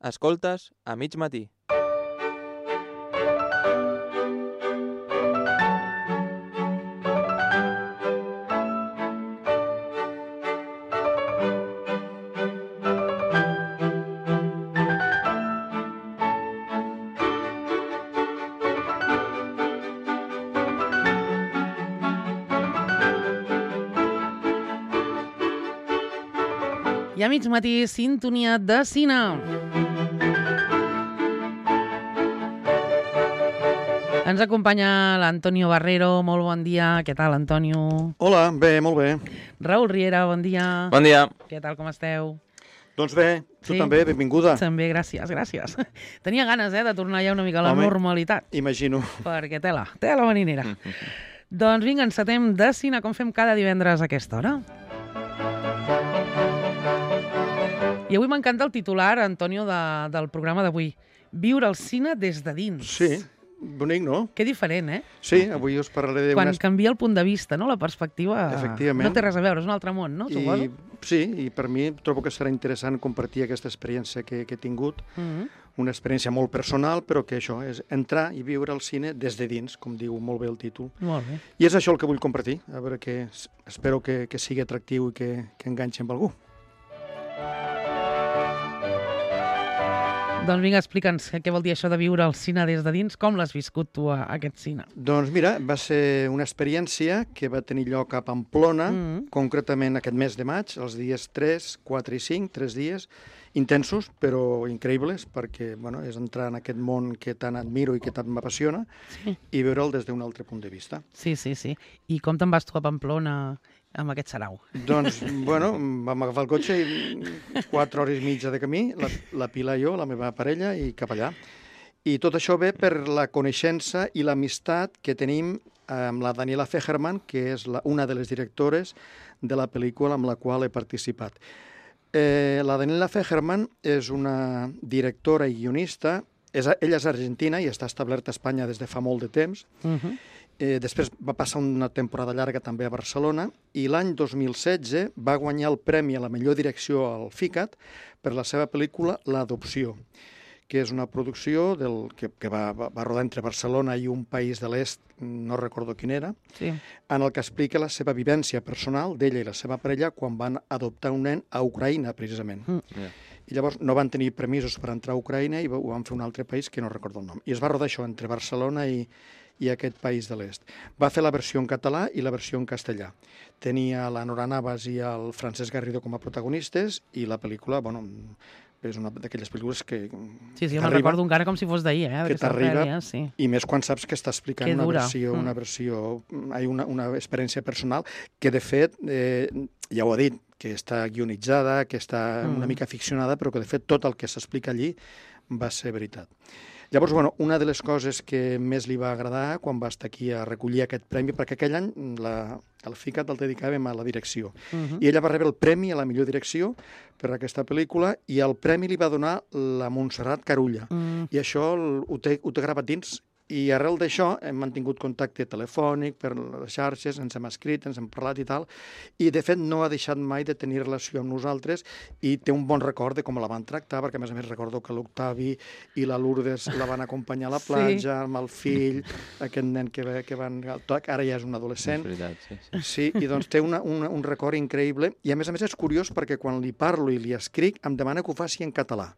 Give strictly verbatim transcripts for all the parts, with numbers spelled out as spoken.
Escoltes a mig matí. I a mig matí, sintonia de cine. Ens acompanya l'Antonio Barrero. Molt bon dia. Què tal, Antonio? Hola, bé, molt bé. Raül Riera, bon dia. Bon dia. Què tal, com esteu? Doncs bé, tu Sí? també, benvinguda. També, gràcies, gràcies. Tenia ganes, eh, de tornar ja una mica a la Home. normalitat, Imagino. perquè tela, tela marinera. Doncs vinga, encetem de cine, com fem cada divendres a aquesta hora. I avui m'encanta el titular, Antonio, de, del programa d'avui. Viure el cine des de dins. Sí, bonic, no? Que diferent, eh? Sí, avui us parlaré Quan d'unes... canvia el punt de vista, no? La perspectiva Efectivament. no té res a veure, és un altre món, no? I, Suposo. sí, i per mi trobo que serà interessant compartir aquesta experiència que, que he tingut, Mm-hmm. una experiència molt personal, però que això és entrar i viure el cine des de dins, com diu molt bé el títol. Molt bé. I és això el que vull compartir, a veure que espero que, que sigui atractiu i que, que enganxi amb algú. Doncs vinga, explica'ns què vol dir això de viure el cine des de dins. Com l'has viscut tu, a, aquest cine? Doncs mira, va ser una experiència que va tenir lloc a Pamplona, Mm. concretament aquest mes de maig, els dies tres, quatre i cinc, tres dies, intensos, però increïbles, perquè bueno, és entrar en aquest món que tant admiro i que tant m'apassiona Sí. i veure'l des d'un altre punt de vista. Sí, sí, sí. I com te'n vas tu a Pamplona amb aquest sarau? Doncs, bueno, vam agafar el cotxe i quatre hores i mitja de camí, la, la Pilar i jo, la meva parella, i cap allà. I tot això ve per la coneixença i l'amistat que tenim amb la Daniela Fegerman, que és la, una de les directores de la pel·lícula amb la qual he participat. Eh, la Daniela Fegerman és una directora i guionista, és, ella és argentina i està establerta a Espanya des de fa molt de temps. Uh-huh. Eh, després va passar una temporada llarga també a Barcelona i l'any dos mil setze va guanyar el premi a la millor direcció al FICAT per la seva pel·lícula L'adopció, que és una producció del, que, que va, va, va rodar entre Barcelona i un país de l'est, no recordo quin era, Sí. en el que explica la seva vivència personal d'ella i la seva parella quan van adoptar un nen a Ucraïna, precisament. Mm. Yeah. I llavors no van tenir permisos per entrar a Ucraïna i ho van fer un altre país que no recordo el nom. I es va rodar això entre Barcelona i, i aquest país de l'est. Va fer la versió en català i la versió en castellà. Tenia la Nora Navas i el Francesc Garrido com a protagonistes i la pel·lícula, bueno, és una d'aquelles pel·lícules que Sí, sí, me'n recordo encara com si fos d'ahir, eh? que d'aquesta t'arriba, sèrie, sí. i més quan saps que està explicant Que una dura. versió, Mm. una versió, hay una, una experiència personal que, de fet, eh, ja ho ha dit, que està guionitzada, que està Mm. una mica ficcionada, però que, de fet, tot el que s'explica allí va ser veritat. Llavors, bueno, una de les coses que més li va agradar quan va estar aquí a recollir aquest premi, perquè aquell any la, el FICAT el dedicàvem a la direcció, Uh-huh. i ella va rebre el premi a la millor direcció per aquesta pel·lícula, i el premi li va donar la Montserrat Carulla. Mm. I això el- ho té, ho té gravat dins. I arrel d'això hem mantingut contacte telefònic per les xarxes, ens hem escrit, ens hem parlat i tal, i de fet no ha deixat mai de tenir relació amb nosaltres i té un bon record de com la van tractar, perquè a més a més recordo que l'Octavi i la Lourdes la van acompanyar a la Sí. platja, amb el fill, aquest nen que, va- que van... Ara ja és un És adolescent. veritat, sí, sí. Sí, i doncs té una, una, un record increïble i a més a més és curiós perquè quan li parlo i li escric em demana que ho faci en català.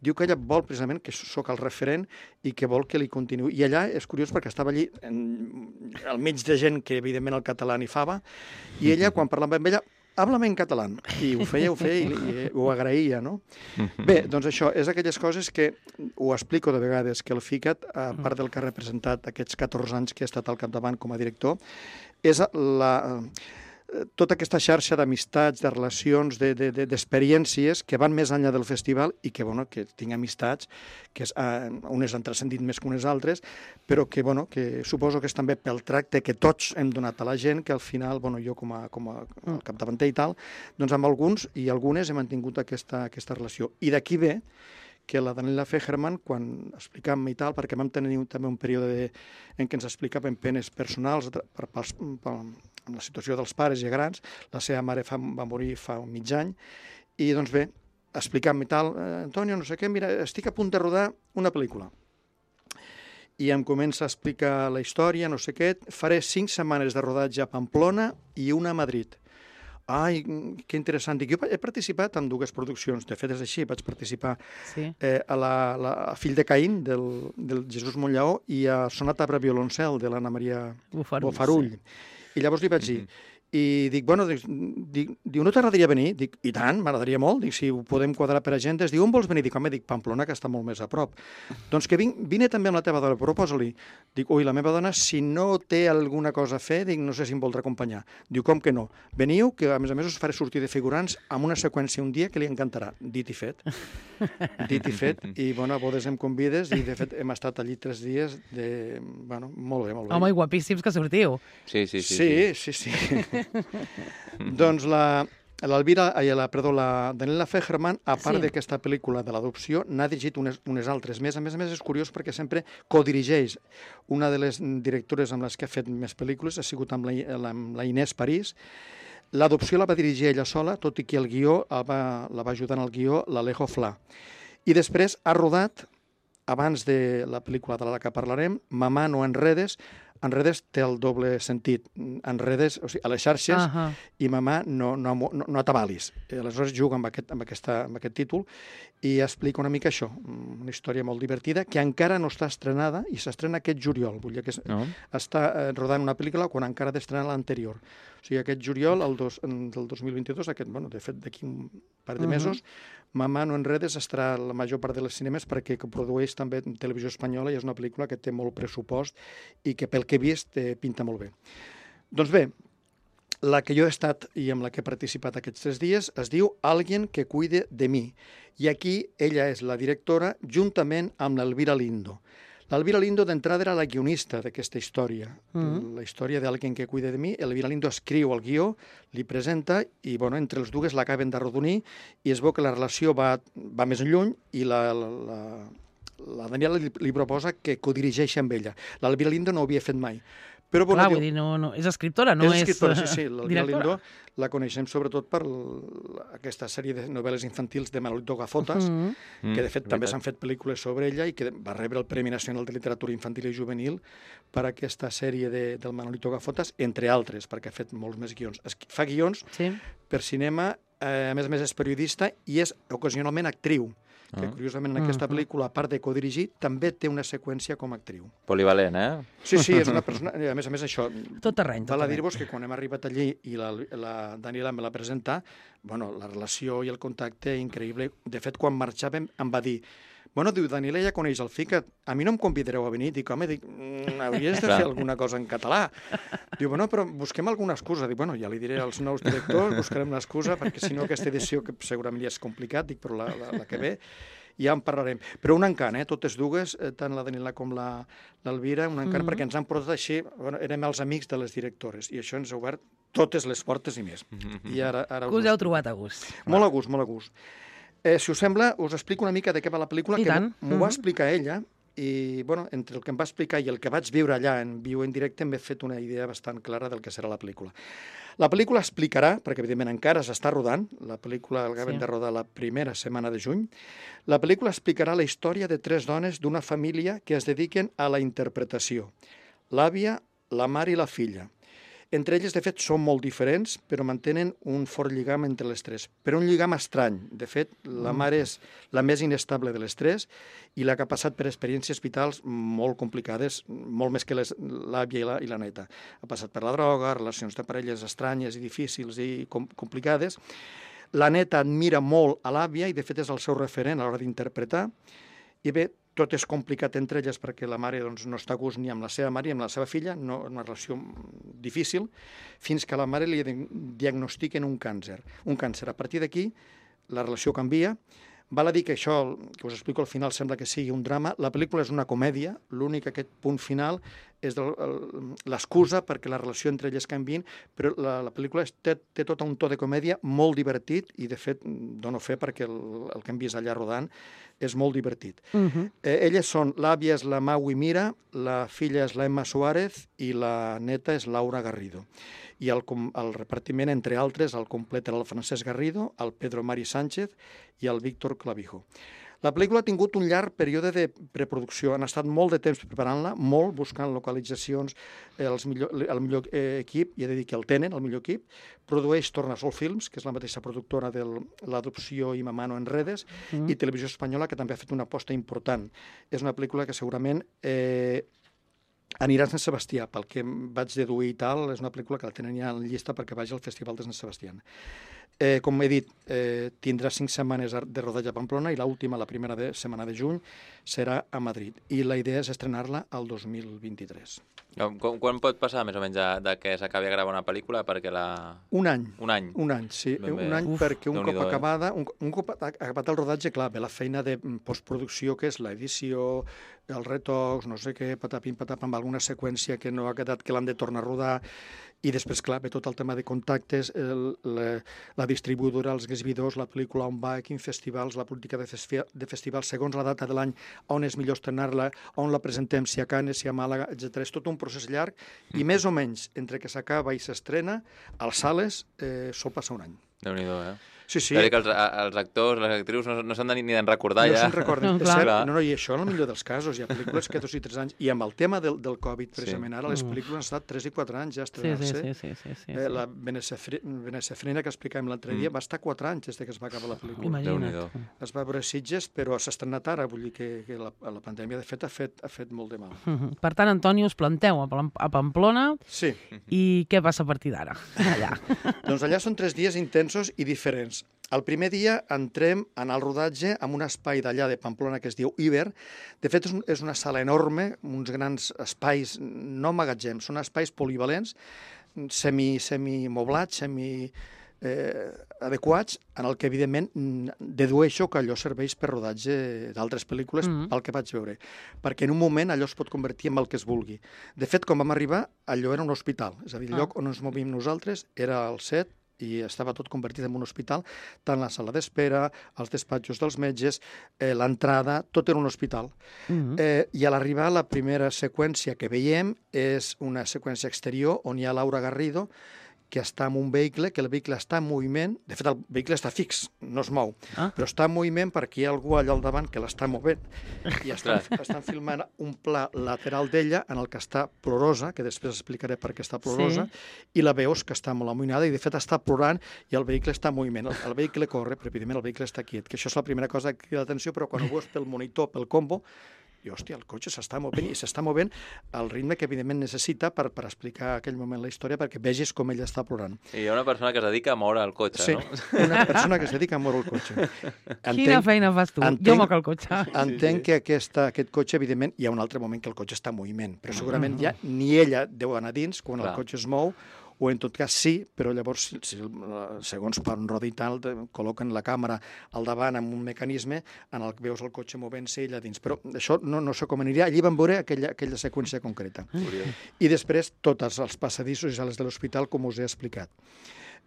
Diu que ella vol precisament que sóc el referent i que vol que li continuï. I allà és curiós perquè estava allí en, al mig de gent que evidentment el català ni fava, i ella quan parlava amb ella háblame en català, i ho feia, ho feia i, i ho agraïa, no? Bé, doncs això, és aquelles coses que ho explico de vegades, que el FICAT, a part del que ha representat aquests catorze anys que ha estat al capdavant com a director, és la, tota aquesta xarxa d'amistats, de relacions, de, de, de, d'experiències que van més enllà del festival i que, bueno, que tinc amistats, que és, eh, unes han transcendit més que unes altres, però que, bueno, que suposo que és també pel tracte que tots hem donat a la gent, que al final, bueno, jo com a, com a capdavanter i tal, doncs amb alguns i algunes he mantingut aquesta, aquesta relació. I d'aquí ve que la Daniela Fegerman, quan explicàvem i tal, perquè vam tenir també un període de, en què ens explicaven penes personals per, per, per, per, amb la situació dels pares i grans, la seva mare fa, va morir fa un mig any, i doncs bé, explicant-me tal, eh, Antonio, no sé què, mira, estic a punt de rodar una pel·lícula. I em comença a explicar la història, no sé què, faré cinc setmanes de rodatge a Pamplona i una a Madrid. Ai, que interessant. Dic, jo he participat en dues produccions, de fet és així, vaig participar Sí. eh, a, la, la, a Fill de Caín, del, del Jesús Monllaó, i a Sonata per a violoncel, de l'Anna Maria Bofarull. Bofarull. I llavors li vaig dir, i dic, bueno, dic, dic, diu, no t'agradaria venir? Dic, i tant, m'agradaria molt, dic, si ho podem quadrar per agendes. Diu, on vols venir? Dic, home, dic, Pamplona, que està molt més a prop. Doncs que vinc, vine també amb la teva dona, proposa-li. Dic, ui, la meva dona, si no té alguna cosa a fer, dic, no sé si em voldrà acompanyar. Diu, com que no? Veniu, que a més a més us faré sortir de figurants amb una seqüència un dia que li encantarà. Dit i fet. Dit i fet. I, bueno, a bodes em convides i, de fet, hem estat allí tres dies de... Bueno, molt bé, molt bé. Home, i guapíssims que sortiu. Sí, sí, sí. Sí, sí, sí. sí. Doncs la, l'Elvira, ai, la, perdó, la Daniela Fegerman, a part Sí. d'aquesta pel·lícula de l'adopció, n'ha dirigit unes, unes altres més. A més a més, és curiós perquè sempre codirigeix. Una de les directores amb les que ha fet més pel·lícules ha sigut amb la, la, amb la Inés París. L'adopció la va dirigir ella sola, tot i que el guió el va, la va ajudar en el guió l'Alejo Fla. I després ha rodat, abans de la pel·lícula de la que parlarem, Mamà, no enredes. Enredes té el doble sentit. Enredes, o sigui, a les xarxes, Uh -huh. i Mamà, no, no, no, no atabalis. I aleshores juga amb aquest, amb, aquesta, amb aquest títol i explica una mica això, una història molt divertida, que encara no està estrenada i s'estrena aquest juliol. Vull dir que No? està eh, rodant una pel·lícula quan encara ha d'estrenar l'anterior. O sigui, aquest juliol el dos, del dos mil vint-i-dos, aquest, bueno, de fet, d'aquí un par de mesos, Mamà, no enredes estarà la major part de les cinemes perquè que produeix també en televisió espanyola i és una pel·lícula que té molt pressupost i que pel que he vist eh, pinta molt bé. Doncs bé, la que jo he estat i amb la que he participat aquests tres dies es diu Alguien que cuide de mi. I aquí ella és la directora juntament amb l'Elvira Lindo. L'Elvira Lindo d'entrada era la guionista d'aquesta història. Mm. La història d'Alguien que cuide de mi. L'Elvira Lindo escriu el guió, li presenta i, bueno, entre els dues l'acaben d'arrodonir i es veu que la relació va, va més lluny i la, la, la, la Daniela li, li proposa que codirigeixi amb ella. L'Elvira Lindo no ho havia fet mai. Però, bueno, Clar, diu, vull dir, no, no, és escriptora, no és, és escriptora, sí, eh, sí. L'Elvira directora. Lindo la coneixem sobretot per l- aquesta sèrie de novel·les infantils de Manolito Gafotas, Mm. que de fet Mm, també veritat. s'han fet pel·lícules sobre ella i que va rebre el Premi Nacional de Literatura Infantil i Juvenil per aquesta sèrie de, del Manolito Gafotas, entre altres, perquè ha fet molts més guions. Es, fa guions Sí. per cinema, eh, a més a més és periodista i és ocasionalment actriu, que Ah. curiosament en aquesta Mhm. pel·lícula, a part de codirigir, també té una seqüència com a actriu. Polivalent, eh? Sí, sí, és una persona... A més a més, això... Tot terreny, tot Val a terreny. dir-vos que quan hem arribat allí i la, la Daniela me la presenta, bueno, la relació i el contacte increïble. De fet, quan marxàvem em va dir, bueno, diu, Daniela ja coneix el FICAT, a mi no em convidareu a venir? Dic, home, dic, mm, hauries de Clar. fer alguna cosa en català. Diu, bueno, però busquem alguna excusa. Dic, bueno, ja li diré als nous directors, buscarem l'excusa, perquè si no aquesta edició, que segurament ja és complicat, dic, però la, la, la que ve, ja en parlarem. Però un encant, eh? Totes dues, eh, tant la Daniela com la- l'Elvira, un encant, Mhm. perquè ens han portat així, bueno, érem els amics de les directores, i això ens ha obert totes les portes i més. I ara, ara Que us ho heu trobat a gust. Molt a gust, molt a gust. Eh, si us sembla, us explico una mica de què va la pel·lícula, I que tant. m'ho va Mhm. explicar ella, i bueno, entre el que em va explicar i el que vaig viure allà en viu en directe m'he fet una idea bastant clara del que serà la pel·lícula. La pel·lícula explicarà, perquè evidentment encara s'està rodant, la pel·lícula l'acabem Sí. de rodar la primera setmana de juny, la pel·lícula explicarà la història de tres dones d'una família que es dediquen a la interpretació. L'àvia, la mare i la filla. Entre elles, de fet, són molt diferents, però mantenen un fort lligam entre les tres. Però un lligam estrany. De fet, la mare és la més inestable de les tres i la que ha passat per experiències vitals molt complicades, molt més que les- l'àvia i, la, i la neta. Ha passat per la droga, relacions de parelles estranyes i difícils i com, complicades. La neta admira molt a l'àvia i, de fet, és el seu referent a l'hora d'interpretar. I bé, tot és complicat entre elles perquè la mare doncs, no està a gust ni amb la seva mare ni amb la seva filla, no, una relació difícil, fins que a la mare li diagnostiquen un càncer. Un càncer. A partir d'aquí, la relació canvia. Val a dir que això, que us explico al final, sembla que sigui un drama. La pel·lícula és una comèdia, l'únic aquest punt final és l'excusa perquè la relació entre elles canviïn, però la, la pel·lícula té, té tot un to de comèdia molt divertit i, de fet, dono fe perquè el, el que hem vist allà rodant és molt divertit. Uh -huh. eh, elles són, l'àvia és la Maui Mira, la filla és la Emma Suárez i la neta és Laura Garrido. I el, el repartiment, entre altres, el completa el Francesc Garrido, el Pedro Mari Sánchez i el Víctor Clavijo. La pel·lícula ha tingut un llarg període de preproducció. Han estat molt de temps preparant-la, molt buscant localitzacions, els millor, el millor eh, equip, i he de dir que el tenen, el millor equip. Produeix Tornasol Films, que és la mateixa productora de l'adopció i Mamà no enredes, mm. i Televisió Espanyola, que també ha fet una aposta important. És una pel·lícula que segurament eh, anirà a Sant Sebastià, pel que vaig deduir i tal, és una pel·lícula que la tenen ja en llista perquè vagi al Festival de Sant Sebastià. Eh, com he dit, eh, tindrà cinc setmanes de rodatge a Pamplona i l'última, la primera de, setmana de juny, serà a Madrid. I la idea és estrenar-la al dos mil vint-i-tres. Com, quan pot passar, més o menys, de, de que s'acabi de gravar una pel·lícula perquè la... Un any. Un any. Un any, sí. Ben bé. Un any Uf, perquè un cop eh? acabada, un, un cop acabat el rodatge, clar, ve la feina de postproducció, que és l'edició, els retocs, no sé què, patapim, patapam, amb alguna seqüència que no ha quedat, que l'han de tornar a rodar, i després, clar, ve tot el tema de contactes, el, la, la distribuïdora, els exhibidors, la pel·lícula on va, a quins festivals, la política de, festi de festivals, segons la data de l'any, on és millor estrenar-la, on la presentem, si a Canes, si a Màlaga, etcètera. És tot un procés llarg, i més o menys, entre que s'acaba i s'estrena, a les sales eh, sol passar un any. Déu-n'hi-do, eh? Sí, sí. Que els, els actors, les actrius no, no s'han de ni d'en recordar no ja. No se'n recorden. No, és cert, clar. no, no, i això en el millor dels casos. Hi ha pel·lícules que dos i tres anys. I amb el tema del, del Covid, precisament, Sí. ara les pel·lícules han estat tres i quatre anys ja a Sí, estrenar-se. sí, sí, sí, sí, sí, Eh, sí. la Venecefrina, que explicàvem l'altre dia, Mm. va estar quatre anys des que es va acabar la pel·lícula. Imagina't. Déu-n'hi-do. Es va veure a Sitges, però s'ha estrenat ara, vull dir que, que la, la pandèmia, de fet, ha fet, ha fet molt de mal. Uh -huh. Per tant, Antoni, us planteu a, Pam- a Pamplona Sí. i què passa a partir d'ara? Allà. Doncs allà són tres dies intensos i diferents. El primer dia entrem en el rodatge en un espai d'allà de Pamplona que es diu Iber. De fet, és, un, és una sala enorme, uns grans espais, no magatzems, són espais polivalents, semi, semi-moblats, semi eh, adequats, en el que, evidentment, dedueixo que allò serveix per rodatge d'altres pel·lícules, Mm. pel que vaig veure. Perquè en un moment allò es pot convertir en el que es vulgui. De fet, quan vam arribar, allò era un hospital. És a dir, el Ah. lloc on ens movíem nosaltres era el set, i estava tot convertit en un hospital, tant la sala d'espera, els despatxos dels metges, eh, l'entrada, tot era un hospital. Uh -huh. Eh, I a l'arribar, la primera seqüència que veiem és una seqüència exterior on hi ha Laura Garrido, que està en un vehicle, que el vehicle està en moviment. De fet, el vehicle està fix, no es mou, Ah. però està en moviment perquè hi ha algú allà al davant que l'està movent. I estan, estan filmant un pla lateral d'ella en el que està plorosa, que després explicaré per què està plorosa, Sí. i la veus que està molt amoïnada i, de fet, està plorant i el vehicle està en moviment. El, el vehicle corre, però, evidentment, el vehicle està quiet, que això és la primera cosa que crida l'atenció, però quan ho veus pel monitor, pel combo, i, hòstia, el cotxe s'està movent i s'està movent al ritme que, evidentment, necessita per, per explicar aquell moment la història, perquè vegis com ella està plorant. I hi ha una persona que es dedica a moure el cotxe, Sí, no? una persona que es dedica a moure el cotxe. Quina feina fas tu? entenc- Jo moc el cotxe. Entenc sí. que aquesta, aquest cotxe, evidentment, hi ha un altre moment que el cotxe està en moviment, però segurament ja ni ella deu anar dins quan Clar. el cotxe es mou, o en tot cas sí, però llavors, si, si, segons per un rodi i tal, te- col·loquen la càmera al davant amb un mecanisme en el que veus el cotxe movent-se i ella dins. Però això no, no sé com aniria. Allí vam veure aquella, aquella seqüència concreta. Curiós. I després tots els passadissos i sales de l'hospital, com us he explicat.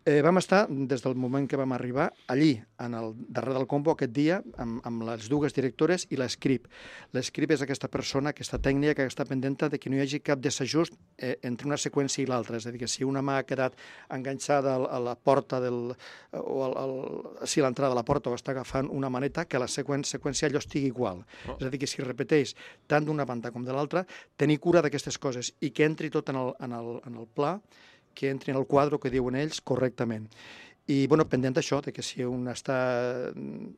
Eh, vam estar, des del moment que vam arribar, allí, en el darrere del combo, aquest dia, amb, amb les dues directores i l'escrip. L'escrip és aquesta persona, aquesta tècnica que està pendent de que no hi hagi cap desajust eh, entre una seqüència i l'altra. És a dir, que si una mà ha quedat enganxada a la porta del... o al, al, si l'entrada de la porta o està agafant una maneta, que la seqüència, seqüència allò estigui igual. Oh. És a dir, que si repeteix tant d'una banda com de l'altra, tenir cura d'aquestes coses i que entri tot en el, en el, en el pla, que entri en el quadre que diuen ells correctament. I, bueno, pendent d'això, de que si un està,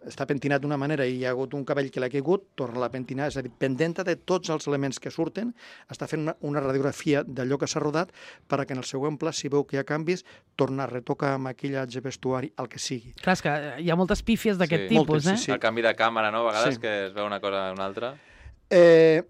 està pentinat d'una manera i hi ha hagut un cabell que l'ha caigut, torna a pentinar, és a dir, pendent de tots els elements que surten, està fent una, una radiografia d'allò que s'ha rodat perquè en el següent pla, si veu que hi ha canvis, torna a retocar maquillatge, vestuari, el que sigui. Clar, és que hi ha moltes pífies d'aquest Sí. tipus, Moltes, eh? sí, sí. El canvi de càmera, no? A vegades Sí. que es veu una cosa o una altra. Eh,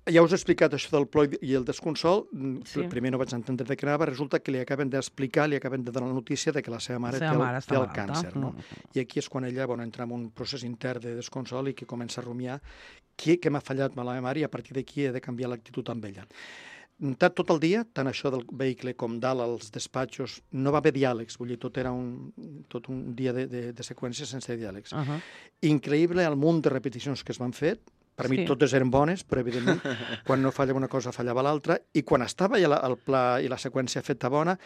ja us he explicat això del ploi i el desconsol. Sí. Sí. Primer no vaig entendre de què anava. Resulta que li acaben d'explicar, li acaben de donar la notícia de que la seva mare La seva té el, mare està té el malalta. càncer. No? Mm. I aquí és quan ella bueno, entra en un procés intern de desconsol i que comença a rumiar què, què m'ha fallat amb la meva mare i a partir d'aquí he de canviar l'actitud amb ella. tot el dia, tant això del vehicle com dalt als despatxos, no va haver diàlegs, vull dir, tot era un, tot un dia de, de, de seqüències sense diàlegs. Uh -huh. Increïble el munt de repeticions que es van fer. Per mi Sí. totes eren bones, però evidentment quan no fallava una cosa fallava l'altra, i quan estava ja la, el pla i la seqüència feta bona,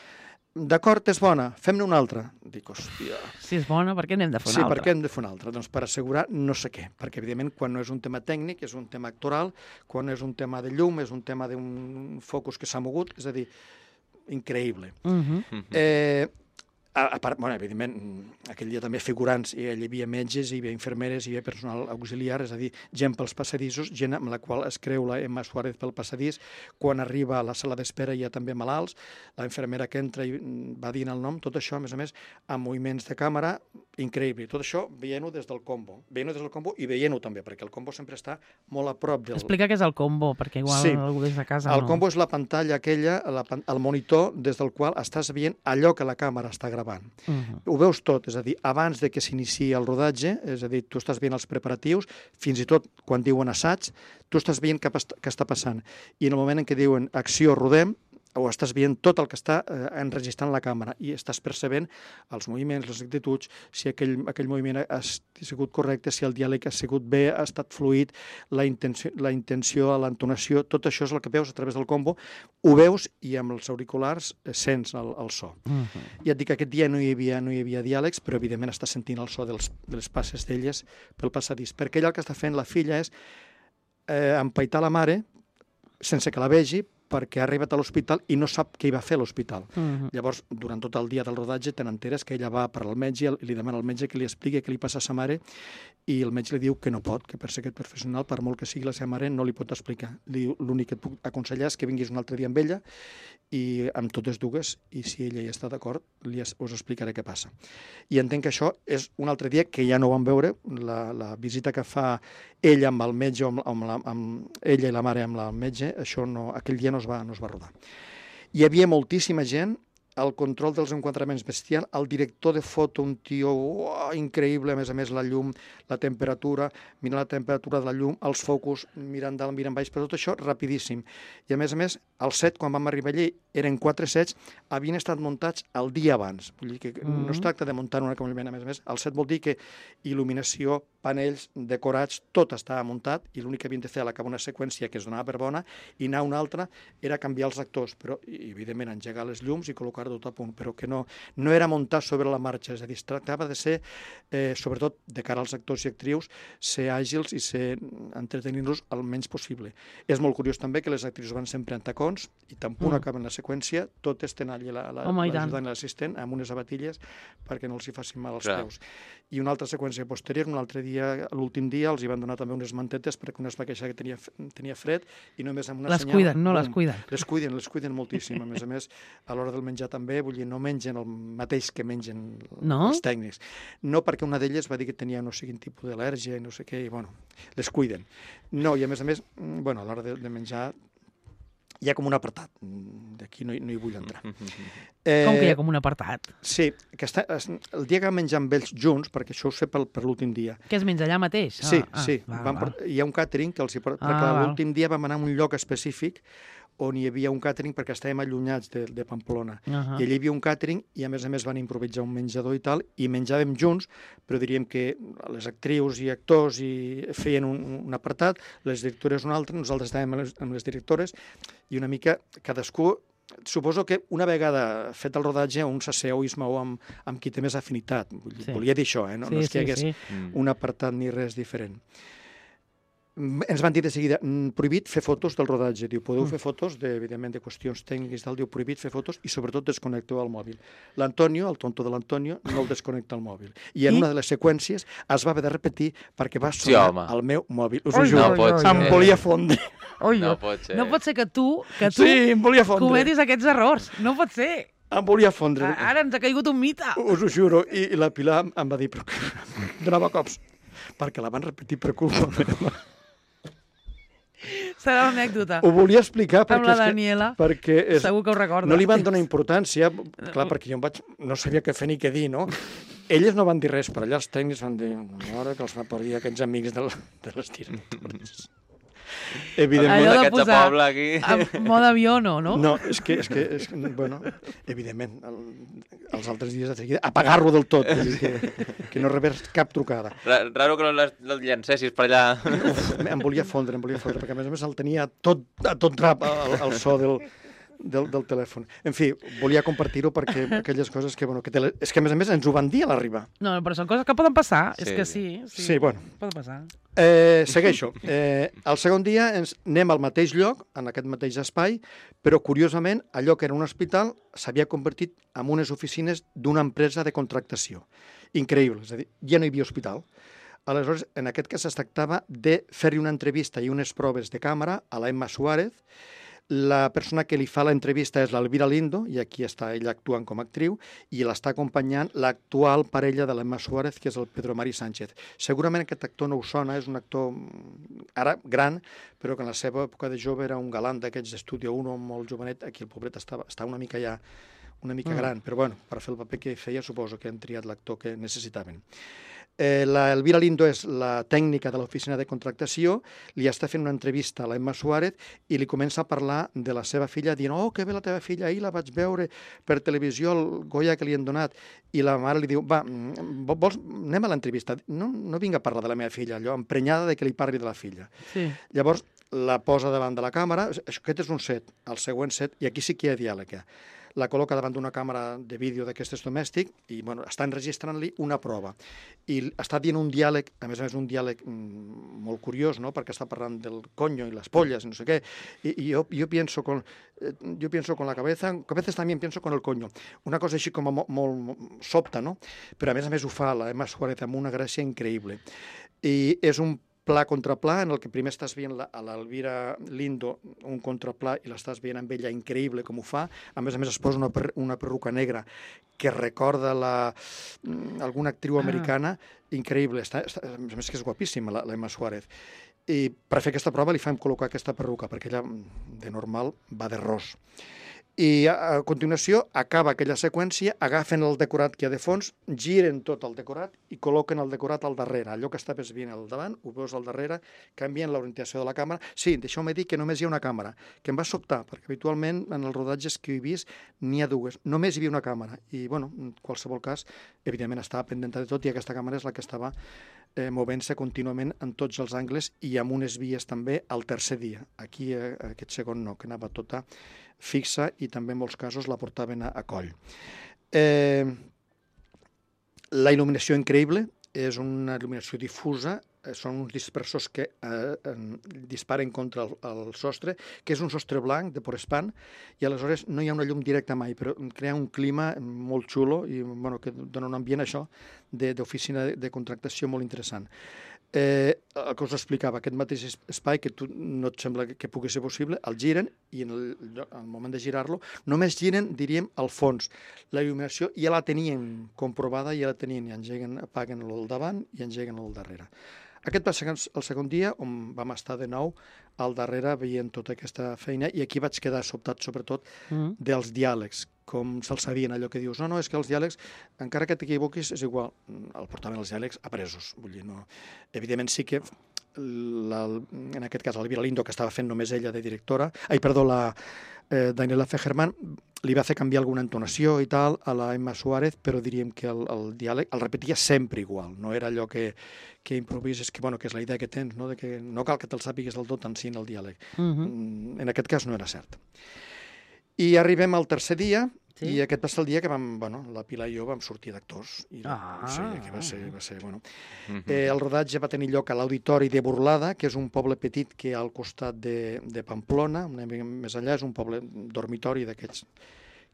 d'acord, és bona, fem-ne una altra. Dic, hòstia... Si és bona, per què n'hem de fer Sí, una per altra? què hem de fer una altra? Doncs per assegurar no sé què, perquè evidentment quan no és un tema tècnic, és un tema actoral, quan és un tema de llum, és un tema d'un focus que s'ha mogut, és a dir, increïble. Uh -huh. Eh, a, a part, bueno, evidentment, aquell dia també figurants, i hi havia metges, hi havia infermeres, hi havia personal auxiliar, és a dir, gent pels passadissos, gent amb la qual es creu la Emma Suárez pel passadís, quan arriba a la sala d'espera hi ha també malalts, la infermera que entra i va dient el nom, tot això, a més a més, amb moviments de càmera, increïble. Tot això veient-ho des del combo, veient-ho des del combo i veient-ho també, perquè el combo sempre està molt a prop del... Explica què és el combo, perquè igual Sí. algú des de casa El no... combo és la pantalla aquella, la, pan- el monitor des del qual estàs veient allò que la càmera està gravant. Uh -huh. Ho veus tot, és a dir, abans de que s'iniciï el rodatge, és a dir, tu estàs veient els preparatius, fins i tot quan diuen assaig, tu estàs veient què, pas- què està passant. I en el moment en què diuen acció, rodem, o estàs veient tot el que està eh, enregistrant la càmera i estàs percebent els moviments, les actituds, si aquell, aquell moviment ha, ha sigut correcte, si el diàleg ha sigut bé, ha estat fluid, la intenció, la intenció l'entonació, tot això és el que veus a través del combo, ho veus i amb els auriculars eh, sents el, el so. Uh -huh. Ja et dic que aquest dia no hi havia, no hi havia diàlegs, però evidentment estàs sentint el so dels, de les passes d'elles pel passadís, perquè ella el que està fent la filla és eh, empaitar la mare sense que la vegi, perquè ha arribat a l'hospital i no sap què hi va a fer a l'hospital. Uh -huh. Llavors, durant tot el dia del rodatge, te n'enteres que ella va per al metge i li demana al metge que li expliqui què li passa a sa mare i el metge li diu que no pot, que per ser aquest professional, per molt que sigui la seva mare, no li pot explicar. Li diu, l'únic que et puc aconsellar és que vinguis un altre dia amb ella i amb totes dues, i si ella hi està d'acord, li es, us explicaré què passa. I entenc que això és un altre dia que ja no vam veure, la, la visita que fa ella amb el metge, amb, amb, la, amb ella i la mare amb el metge, això no, aquell dia no es va, no es va rodar. Hi havia moltíssima gent, el control dels enquadraments bestial, el director de foto, un tio oh, increïble, a més a més la llum, la temperatura, mirant la temperatura de la llum, els focus, mirant dalt, mirant baix, però tot això rapidíssim. I a més a més, el set, quan vam arribar allí, eren quatre sets, havien estat muntats el dia abans. Vull dir que mm-hmm. no es tracta de muntar una camellament, a més a més, el set vol dir que il·luminació, panells, decorats, tot estava muntat i l'únic que havien de fer a l'acabar una seqüència que es donava per bona i anar una altra era canviar els actors, però i, evidentment engegar les llums i col·locar tot a punt, però que no, no era muntar sobre la marxa, és a dir, es tractava de ser, eh, sobretot de cara als actors i actrius, ser àgils i ser entretenir-los el menys possible. És molt curiós també que les actrius van sempre en tacons i tan punt mm. acaben la seqüència, totes tenen allà l'ajudant i l'assistent amb unes abatilles perquè no els hi facin mal als Clar. peus. I una altra seqüència posterior, un altre dia, l'últim dia, els hi van donar també unes mantetes perquè una es va queixar que tenia, tenia fred i només amb una les senyal... cuiden, no bum, les cuiden. Les cuiden, les cuiden moltíssim. A més a més, a l'hora del menjar també, vull dir, no mengen el mateix que mengen no? els tècnics. No, perquè una d'elles va dir que tenia no sé quin tipus d'al·lèrgia i no sé què, i bueno, les cuiden. No, i a més a més, bueno, a l'hora de, de menjar hi ha com un apartat. D'aquí no, no hi vull entrar. Eh, com que hi ha com un apartat? Sí, que està, el dia que vam menjar amb ells junts, perquè això ho sé per, per l'últim dia. Que es menja allà mateix? Sí, ah, sí. Ah, vam, val. hi ha un càtering que els hi porta, Ah, perquè val. l'últim dia vam anar a un lloc específic on hi havia un càtering perquè estàvem allunyats de, de Pamplona. Uh -huh. I allà hi havia un càtering i a més a més van improvisar un menjador i tal, i menjàvem junts, però diríem que les actrius i actors i feien un, un apartat, les directores un altre, nosaltres estàvem amb les, amb les directores, i una mica cadascú. Suposo que una vegada fet el rodatge un s'asseu i es mou amb, amb qui té més afinitat. Sí. Volia dir això, eh? no, sí, no és que hi sí, hagués sí. un apartat ni res diferent. Ens van dir de seguida, prohibit fer fotos del rodatge. Diu, podeu fer fotos, de, evidentment, de qüestions tècniques, tal. Diu, prohibit fer fotos i, sobretot, desconnecteu el mòbil. L'Antonio, el tonto de l'Antonio, no el desconnecta el mòbil. I en I? una de les seqüències es va haver de repetir perquè va Sí, sonar home. el meu mòbil. Us Ui, ho juro, no pot em ser. volia fondre. Ui, No pot ser. no pot ser que tu, que tu Sí, em volia fondre. cometis aquests errors. No pot ser. Em volia fondre. A- Ara ens ha caigut un mite. Us ho juro. I, i la Pilar em va dir, però donava cops, perquè la van repetir per culpa meva. Serà l'anècdota. Ho volia explicar perquè, Amb la és que- Daniela. perquè és, Segur que ho recorda. no li van donar importància, clar, perquè jo em vaig, no sabia què fer ni què dir, no? Elles no van dir res, però allà els tècnics van dir, ara que els va parir aquests amics de, la, de les directores. Evidentment. Allò de D'aquest posar poble aquí... en mode avió, no, no? No, és que, és que és, bueno, evidentment, el, els altres dies de seguida, apagar-lo del tot, vull dir que, que no rebés cap trucada. Ra- Raro que no les- el llancessis per allà. Uf, em volia fondre, em volia fondre, perquè a més a més el tenia tot, a tot drap el, el so del, del, del telèfon. En fi, volia compartir-ho perquè aquelles coses que, bueno, que tele... és que a més a més ens ho van dir a l'arribar. No, però són coses que poden passar, és Sí, que sí. sí. Sí, Sí, bueno. Poden passar. Eh, segueixo. Eh, el segon dia ens anem al mateix lloc, en aquest mateix espai, però curiosament allò que era un hospital s'havia convertit en unes oficines d'una empresa de contractació. Increïble, és a dir, ja no hi havia hospital. Aleshores, en aquest cas es tractava de fer-hi una entrevista i unes proves de càmera a la Emma Suárez. La persona que li fa l'entrevista és l'Elvira Lindo, i aquí està ella actuant com a actriu, i l'està acompanyant l'actual parella de l'Emma Suárez, que és el Pedro Mari Sánchez. Segurament aquest actor no us sona, és un actor ara gran, però que en la seva època de jove era un galant d'aquests d'Estudio uno, molt jovenet. Aquí el pobret estava, està una mica ja una mica Mm. gran, però bueno, per fer el paper que feia suposo que han triat l'actor que necessitaven. Eh, la Elvira Lindo és la tècnica de l'oficina de contractació, li està fent una entrevista a la Emma Suárez i li comença a parlar de la seva filla, dient, oh, que bé la teva filla, ahir la vaig veure per televisió, el Goya que li han donat, i la mare li diu, va, mm, vols, anem a l'entrevista, no, no vinc a parlar de la meva filla, allò, emprenyada de que li parli de la filla. Sí. Llavors, la posa davant de la càmera, aquest és un set, el següent set, i aquí sí que hi ha diàleg. eh? La col·loca davant d'una càmera de vídeo d'aquestes domèstic i bueno, està enregistrant-li una prova. I està dient un diàleg, a més a més un diàleg mm, molt curiós, no? Perquè està parlant del coño i les polles, no sé què, i, i jo, jo, pienso con, eh, yo pienso con la cabeza, a veces también pienso con el coño. Una cosa així com a molt, molt sobta, no? Però a més a més ho fa la Emma Suárez amb una gràcia increïble. I és un pla contra pla, en el que primer estàs veient la, a l'Elvira Lindo un contraplà i l'estàs veient amb ella increïble com ho fa. A més a més es posa una, per, una perruca negra que recorda la, alguna actriu Ah. americana, increïble. Està, està, a més que és guapíssima, la, la Emma Suárez. I per fer aquesta prova li fem col·locar aquesta perruca, perquè ella de normal va de ros. I a, a continuació acaba aquella seqüència, agafen el decorat que hi ha de fons, giren tot el decorat i col·loquen el decorat al darrere. Allò que estaves veient al davant, ho veus al darrere, canvien l'orientació de la càmera. Sí, deixeu-me dir que només hi ha una càmera, que em va sobtar, perquè habitualment en els rodatges que he vist n'hi ha dues. Només hi havia una càmera. I, bueno, en qualsevol cas, evidentment estava pendent de tot i aquesta càmera és la que estava eh, movent-se contínuament en tots els angles i amb unes vies també al tercer dia. Aquí, eh, aquest segon no, que anava tota fixa i també en molts casos la portaven a, a coll. Eh, la il·luminació increïble, és una il·luminació difusa, eh, són uns dispersors que eh, eh, disparen contra el, el sostre, que és un sostre blanc de Porespan, i aleshores no hi ha una llum directa mai, però crea un clima molt xulo i bueno, que dona un ambient això d'oficina de, de contractació molt interessant. Eh, el que us explicava, aquest mateix espai que tu no et sembla que, que pugui ser possible, el giren i en el, al moment de girar-lo només giren, diríem, al fons. La il·luminació ja la tenien comprovada, ja la tenien, i engeguen, apaguen el davant i engeguen el darrere. Aquest va ser el segon dia on vam estar de nou al darrere veient tota aquesta feina i aquí vaig quedar sobtat sobretot Mm. dels diàlegs, com se'ls sabien allò que dius, no, no, és que els diàlegs, encara que t'equivoquis, és igual, el portaven els diàlegs apresos, vull dir, no... Evidentment sí que, la, en aquest cas, l'Elvira Lindo, que estava fent només ella de directora, ai, perdó, la eh, Daniela Fejerman, li va fer canviar alguna entonació i tal a la Emma Suárez, però diríem que el, el diàleg el repetia sempre igual, no era allò que, que improvises, que, bueno, que és la idea que tens, no, de que no cal que te'l sàpigues del tot en si en el diàleg. Mm-hmm. En aquest cas no era cert. I arribem al tercer dia, Sí. i aquest va ser el dia que vam, bueno, la Pilar i jo vam sortir d'actors. I Ah. sí, que va ser, va ser, bueno. Mhm. Eh, el rodatge va tenir lloc a l'Auditori de Burlada, que és un poble petit que hi ha al costat de, de Pamplona, una mica més enllà, és un poble dormitori d'aquests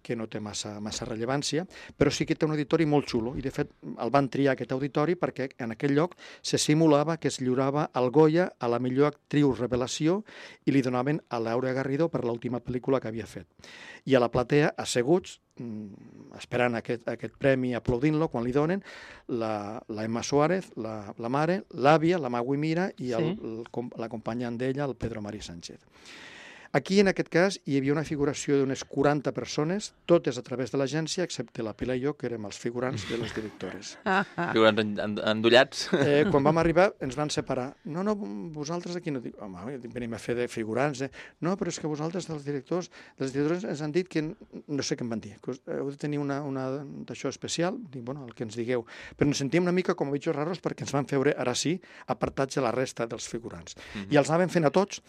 que no té massa, massa rellevància, però sí que té un auditori molt xulo, i de fet el van triar aquest auditori perquè en aquell lloc se simulava que es lliurava el Goya a la millor actriu revelació i li donaven a Laura Garrido per l'última pel·lícula que havia fet. I a la platea, asseguts, esperant aquest, aquest premi, aplaudint-lo, quan li donen, la, la Emma Suárez, la, la mare, l'àvia, la Magui Mira i el, Sí. el, l'acompanyant d'ella, el Pedro Mari Sánchez. Aquí, en aquest cas, hi havia una figuració d'unes quaranta persones, totes a través de l'agència, excepte la Pilar i jo, que érem els figurants de les directores. Figurants en- en- endollats. Eh, quan vam arribar, ens van separar. No, no, vosaltres aquí no... Dic, home, venim a fer de figurants. Eh? No, però és que vosaltres, dels directors, dels directors ens han dit que... No sé què em van dir, que us- heu de tenir una, una d'això especial. Dic, bueno, el que ens digueu. Però ens sentíem una mica com a bitxos raros perquè ens van fer, ara sí, apartats de la resta dels figurants. Mhm. I els anaven fent a tots,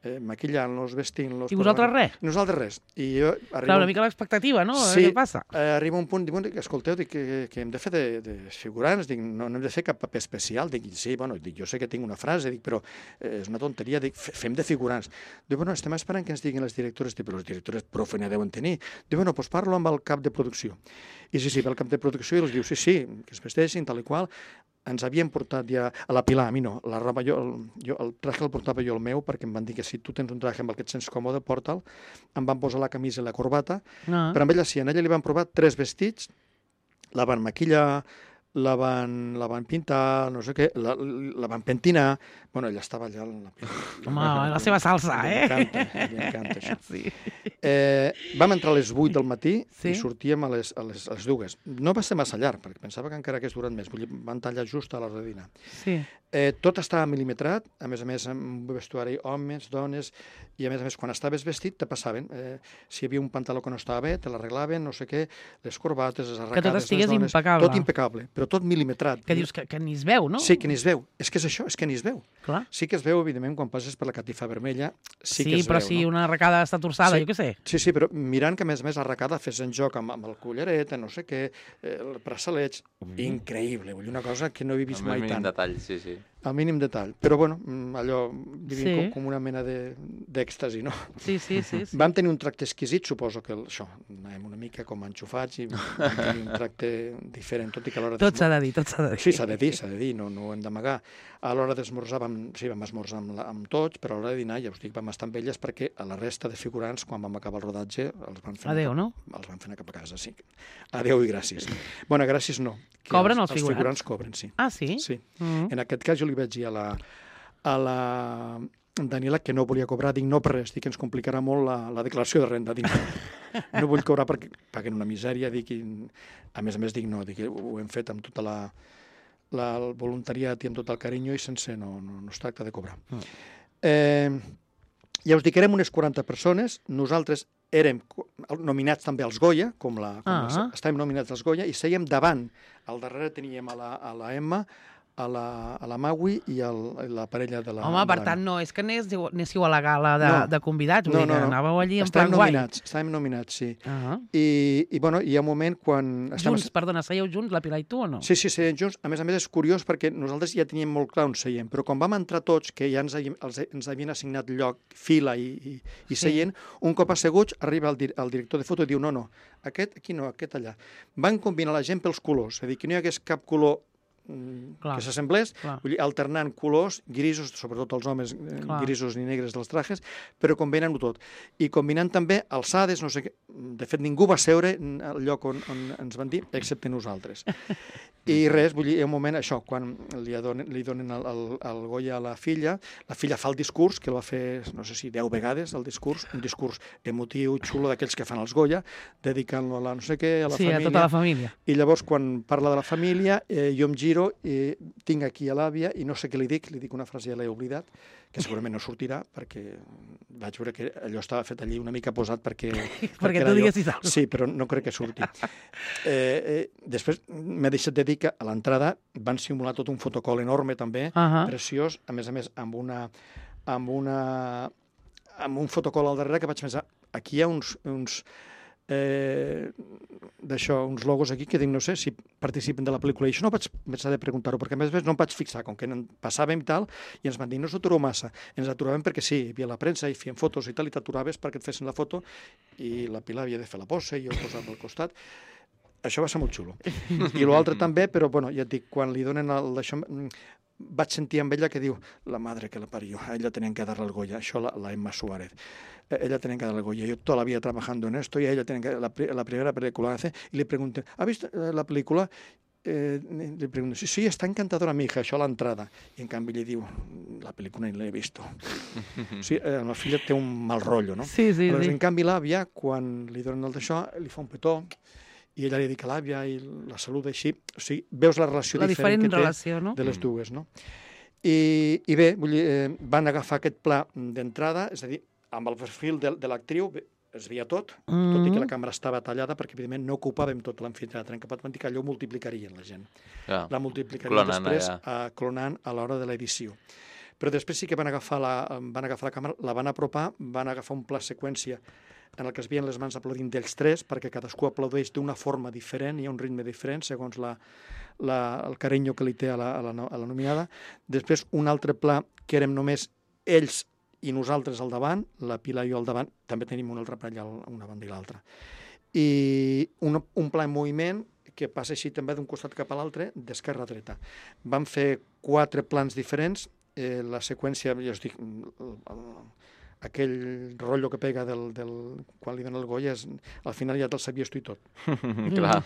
eh, maquillant-los, vestint-los... I vosaltres res? Nosaltres res. I jo Clar, arribo... una mica l'expectativa, no? A veure Sí, què passa? eh, arriba un punt, dic, bueno, escolteu, dic, que, que hem de fer de, de figurants, dic, no, no hem de fer cap paper especial, dic, sí, bueno, dic, jo sé que tinc una frase, dic, però eh, és una tonteria, dic, fe- fem de figurants. Dic, bueno, estem esperant que ens diguin les directores, dic, però les directores profe ne deuen tenir. Dic, bueno, doncs parlo amb el cap de producció. I sí, sí, va al cap de producció i els diu, sí, sí, que es vesteixin, tal i qual. Ens havien portat ja a la Pilar, a mi no, la roba, jo, el, jo, el traje el portava jo el meu, perquè em van dir que si tu tens un traje amb el que et sents còmode, porta'l. Em van posar la camisa i la corbata, Ah. però amb ella sí, a ella li van provar tres vestits, la van maquillar, la van, la van pintar, no sé què, la, la van pentinar. Bueno, ella estava allà... La, Home, la seva salsa, Li eh? encanta, li encanta això. Sí. Eh, vam entrar a les vuit del matí Sí. i sortíem a les, a, les, a les dues. No va ser massa llarg, perquè pensava que encara hagués durat més. Vull dir, van tallar just a l'hora de dinar. Sí. Eh, tot estava mil·limetrat, a més a més amb vestuari homes, dones, i a més a més quan estaves vestit te passaven. Eh, si hi havia un pantaló que no estava bé, te l'arreglaven, no sé què, les corbates, les arracades... tot estigués les dones, impecable. Tot impecable, però tot mil·limetrat. Que dius que, que ni es veu, no? Sí, que ni es veu. És que és això, és que ni es veu. Clar. Sí que es veu, evidentment, quan passes per la catifa vermella, sí, Sí, que es però veu, si no? una arracada està torçada, Sí. jo què sé. Sí, sí, però mirant que, a més a més, l'arracada fes en joc amb, amb el collaret, no sé què, eh, el braçalets, increïble, vull dir, una cosa que no he vist Amb el mai mínim tant. detall, sí, sí. Al mínim detall. Però, bueno, mm, allò, vivim Sí. com, com una mena de- d'èxtasi, no? Sí, sí, sí. sí. Vam tenir un tracte exquisit, suposo que el, això, anàvem una mica com enxufats i vam tenir un tracte diferent, tot i que a l'hora Tot s'ha de dir, tot s'ha de dir. Sí, s'ha de dir, s'ha de dir, no, no ho hem d'amagar. A l'hora d'esmorzar vam, sí, vam esmorzar amb, la, amb tots, però a l'hora de dinar, ja us dic, vam estar amb elles perquè a la resta de figurants, quan vam acabar el rodatge, els van fer Adéu, no? Els van fer anar cap a casa, sí. Adéu i gràcies. Bueno, gràcies no. que Cobren els els figurants? figurants cobren, sí. Ah, sí? Sí. Mm. En aquest cas jo li vaig dir a la, a la Daniela que no volia cobrar, dic no per res, dic que ens complicarà molt la, la declaració de renda, dic no vull cobrar perquè paguen una misèria, dic, i, a més a més dic no, dic, ho hem fet amb tota la, la el voluntariat i amb tot el carinyo i sense, no, no, no es tracta de cobrar. Mm. Eh, ja us dic, érem unes quaranta persones, nosaltres érem co- nominats també als Goya, com la, com Ah. la, estàvem nominats als Goya, i sèiem davant. Al darrere teníem a la, a la Emma, a la, a la Maui i el, la parella de la... Home, per de la- tant, no és que anéssiu, anéssiu a la gala de, No. de convidats, vull No, dir no, que no. anàveu allí en Estàvem plan guai. nominats, estàvem nominats, sí. Ah. I, i, bueno, hi ha un moment quan... estem- Junts, perdona, seieu junts, la Pilar i tu o no? Sí, sí, seiem junts. A més a més, és curiós perquè nosaltres ja teníem molt clar on seiem, però quan vam entrar tots, que ja ens, havíem- els, ens havien assignat lloc, fila i, i, i Sí. seient, un cop asseguts arriba el, dir, el director de foto i diu no, no, aquest aquí no, aquest allà. Van combinar la gent pels colors, és a dir, que no hi hagués cap color mm, Clar. que s'assemblés, Clar. vull dir, alternant colors, grisos, sobretot els homes, eh, Clar. grisos ni negres dels trajes, però combinant-ho tot. I combinant també alçades, no sé què. De fet, ningú va seure al lloc on, on ens van dir, excepte nosaltres. I res, vull dir, hi ha un moment, això, quan li donen, li donen el, el, el Goya a la filla, la filla fa el discurs, que el va fer, no sé si deu vegades, el discurs, un discurs emotiu, xulo, d'aquells que fan els Goya, dedicant-lo a la no sé què, a la Sí, a família. tota la família. I llavors, quan parla de la família, eh, jo em giro i tinc aquí a l'àvia i no sé què li dic, li dic una frase, ja l'he oblidat, que segurament no sortirà, perquè vaig veure que allò estava fet allí una mica posat perquè... Perquè era tu jo. diguessis alguna cosa. Sí, però no crec que surti. Eh, eh, després m'he deixat de dir que a l'entrada van simular tot un fotocol enorme també, Ahà. preciós, a més a més amb una... amb una amb un fotocol al darrere que vaig pensar, aquí hi ha uns, uns eh, d'això, uns logos aquí que dic, no sé si participen de la pel·lícula, i això no vaig pensar de preguntar-ho, perquè a més a més no em vaig fixar, com que en passàvem i tal, i ens van dir, no s'atureu massa, ens aturàvem perquè sí, hi havia la premsa, i feien fotos i tal, i t'aturaves perquè et fessin la foto, i la Pilar havia de fer la posa, i jo posava al costat. Això va ser molt xulo. I l'altre també, però bueno, ja et dic, quan li donen el d'això, mm, vaig sentir amb ella que diu, la madre que la parió, a ella tenían que darle el Goya, això la, la Emma Suárez. Eh, Ella tenía que darle el Goya. Yo toda la vida trabajando en esto y a ella tenía que, la, pri- la primera película que hace, y le pregunté, ¿ha visto eh, la película? eh, li pregunto, sí, sí, està encantadora, mi hija, això a l'entrada. I en canvi li diu, la pel·lícula ni l'he vist. Sí, eh, la filla té un mal rotllo, no? Sí, sí, Aleshores, sí. en canvi, l'àvia, quan li donen el d'això, li fa un petó, i ella li dedica a l'àvia i la saluda així. O sigui, veus la relació La diferent, diferent que té relació, no? de les dues, no? I, i bé, vull dir, eh, van agafar aquest pla d'entrada, és a dir, amb el perfil de, de l'actriu, es veia tot, Mm. tot i que la càmera estava tallada, perquè evidentment no ocupàvem tot l'amfiteatre, en cap van dir que allò ho multiplicarien la gent. Clar. La multiplicarien Clonant després allà. eh, clonant a l'hora de l'edició. Però després sí que van agafar, la, van agafar la càmera, la van apropar, van agafar un pla seqüència en el que es veien les mans aplaudint d'ells tres, perquè cadascú aplaudeix d'una forma diferent, hi ha un ritme diferent, segons la, la, el carinyo que li té a la, a, la, a la nominada. Després, un altre pla que érem només ells i nosaltres al davant, la Pilar i jo al davant, també tenim un altre pla allà a una banda i l'altra. I un, un pla en moviment que passa així també d'un costat cap a l'altre, d'esquerra a dreta. Vam fer quatre plans diferents, eh, la seqüència, ja us dic, aquell rotllo que pega del, del, quan li dona el Goya, és, al final ja te'l sabies tu i tot. Clar.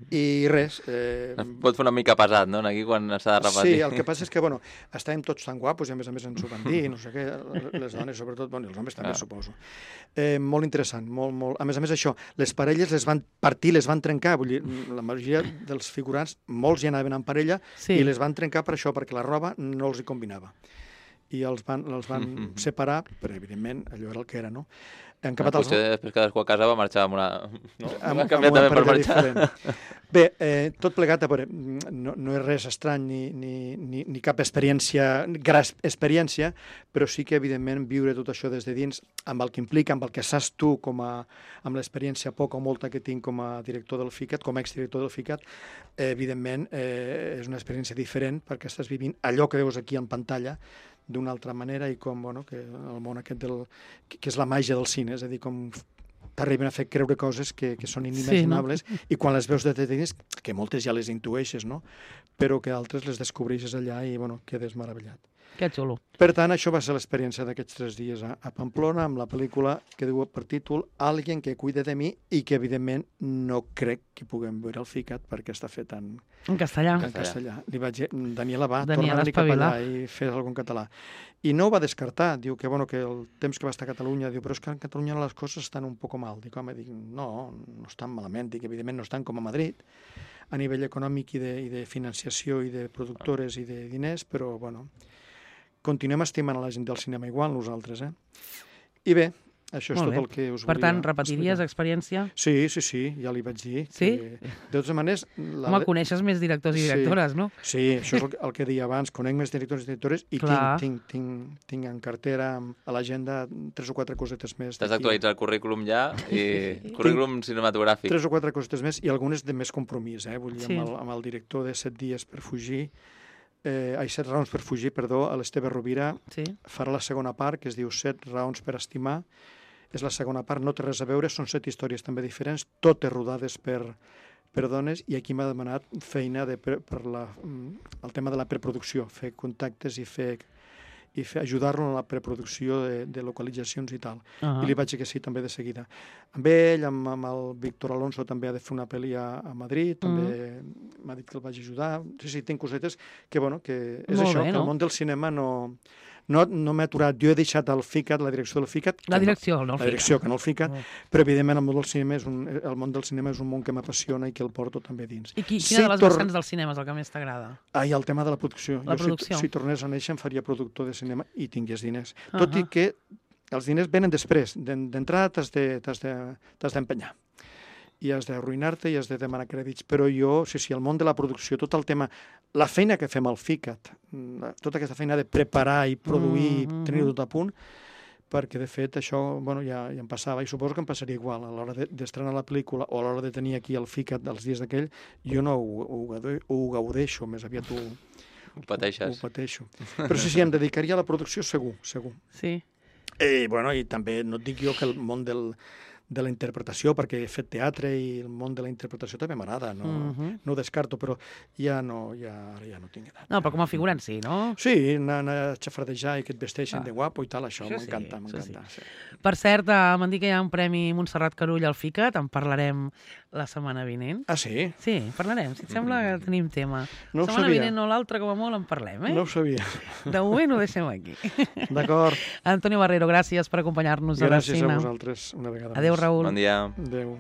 I res... Eh, Pot fer una mica pesat, no?, aquí quan s'ha de repetir. Sí, el que passa és que, bueno, estàvem tots tan guapos i a més a més ens ho van dir, no sé què, les dones sobretot, bueno, i els homes també, Ah. suposo. Eh, molt interessant, molt, molt... A més a més això, les parelles les van partir, les van trencar, vull dir, la majoria dels figurants, molts hi anaven en parella, Sí. i les van trencar per això, perquè la roba no els hi combinava. I els van, els van separar, però evidentment allò era el que era, no? Han acabat els... Potser després cadascú a casa va marxar amb una... No? amb, Va amb canviar una també per parella marxar. diferent. Bé, eh, tot plegat, a veure, no, no és res estrany ni, ni, ni, ni cap experiència, gran experiència, però sí que, evidentment, viure tot això des de dins, amb el que implica, amb el que saps tu, com a, amb l'experiència poca o molta que tinc com a director del FICAT, com a exdirector del FICAT, eh, evidentment, eh, és una experiència diferent, perquè estàs vivint allò que veus aquí en pantalla, d'una altra manera, i com, bueno, que el món aquest del... que, que és la màgia del cine, és a dir, com t'arriben a fer creure coses que, que són inimaginables, sí, no? I quan les veus de dins, que moltes ja les intueixes, no? Però que altres les descobreixes allà i, bueno, quedes meravellat. Que xulo. Per tant, això va ser l'experiència d'aquests tres dies a, a Pamplona, amb la pel·lícula que diu per títol Alguien que cuide de mi, i que, evidentment, no crec que puguem veure el FICAT perquè està fet en, En castellà. en castellà. Li vaig dir, Daniela, va, Daniela, torna a venir cap espavila. allà i fes alguna en català. I no ho va descartar, diu que, bueno, que el temps que va estar a Catalunya, diu, però és que en Catalunya les coses estan un poc mal. Dic, home, dic, no, no estan malament, dic, evidentment no estan com a Madrid, a nivell econòmic i de, i de financiació i de productores i de diners, però, bueno, continuem estimant a la gent del cinema igual, nosaltres, eh? I bé, això és Molt tot bé. el que us Per volia tant, repetiries explicar. experiència? Sí, sí, sí, ja li vaig dir. Sí? Que, de totes maneres... La... Home, coneixes més directors i Sí. directores, no? Sí, això és el, que- el que deia abans, conec més directors i directores i Clar. tinc, tinc, tinc, tinc en cartera, a l'agenda, tres o quatre cosetes més. T'has d'aquí. d'actualitzar el currículum ja, i currículum cinematogràfic. Tres o quatre cosetes més i algunes de més compromís, eh? Vull dir, Sí. amb, el, amb el director de Set dies per fugir, eh, ai, Set raons per fugir, perdó, a l'Esteve Rovira, Sí. farà la segona part, que es diu Set raons per estimar. És la segona part, no té res a veure, són set històries també diferents, totes rodades per, per dones, i aquí m'ha demanat feina de, per, per la, mm, el tema de la preproducció, fer contactes i fer i fer, ajudar-lo en la preproducció de, de localitzacions i tal. Ah. I li vaig dir que sí, també de seguida. Amb ell, amb, amb el Víctor Alonso, també ha de fer una pel·li a, a Madrid, també m'ha dit que el vaig ajudar. Sí, sí, tinc cosetes que, bueno, que és Molt això, bé, que no? el món del cinema no, no, no m'ha aturat. Jo he deixat el FICAT, la direcció del FICAT. La que direcció, no el No, la FICAT. direcció, que no el FICAT, Mm. però evidentment el món del cinema és un, el món del cinema és un món que m'apassiona i que el porto també dins. I qui, Si quina de les tor- vessants del cinema és el que més t'agrada? Ah, i el tema de la producció. La jo, producció. Si, si tornés a néixer, em faria productor de cinema i tingués diners. Ah, Tot i ah. que els diners venen després. d'en- D'entrada t'has de, t'has de, t'has d'empenyar. I has d'arruïnar-te i has de demanar crèdits. Però jo, sí, sí, el món de la producció, tot el tema, la feina que fem al FICAT, la- tota aquesta feina de preparar i produir, Mm, mm, mm, tenir mm. tot a punt, perquè, de fet, això bueno, ja, ja em passava, i suposo que em passaria igual. A l'hora de- d'estrenar la pel·lícula o a l'hora de tenir aquí el FICAT dels dies d'aquell, jo no ho, ho, gaude- ho gaudeixo, més aviat ho, Ho pateixes. ho pateixo. Però sí, sí, em dedicaria a la producció segur, segur. Sí. I, bueno, i també no et dic jo que el món del, de la interpretació, perquè he fet teatre i el món de la interpretació també m'agrada, no, uh -huh. no ho descarto, però ja no, ja, ara ja no tinc edat. No, però com a figurant sí, no? Sí, anar, anar a xafardejar i que et vesteixin Ah. de guapo i tal, això, Això m'encanta, sí, m'encanta. això Sí. Per cert, eh, m'han dit que hi ha un premi Montserrat Carull al FICAT, en parlarem la setmana vinent. Ah, sí? Sí, parlarem, si et sembla que tenim tema. No ho la setmana sabia. vinent o l'altra, com a molt, en parlem, eh? No ho sabia. De moment ho deixem aquí. D'acord. Antonio Barrero, gràcies per acompanyar-nos a Gràcies a l'escena. vosaltres una vegada Adéu, més. Raül. Bon dia. Adéu.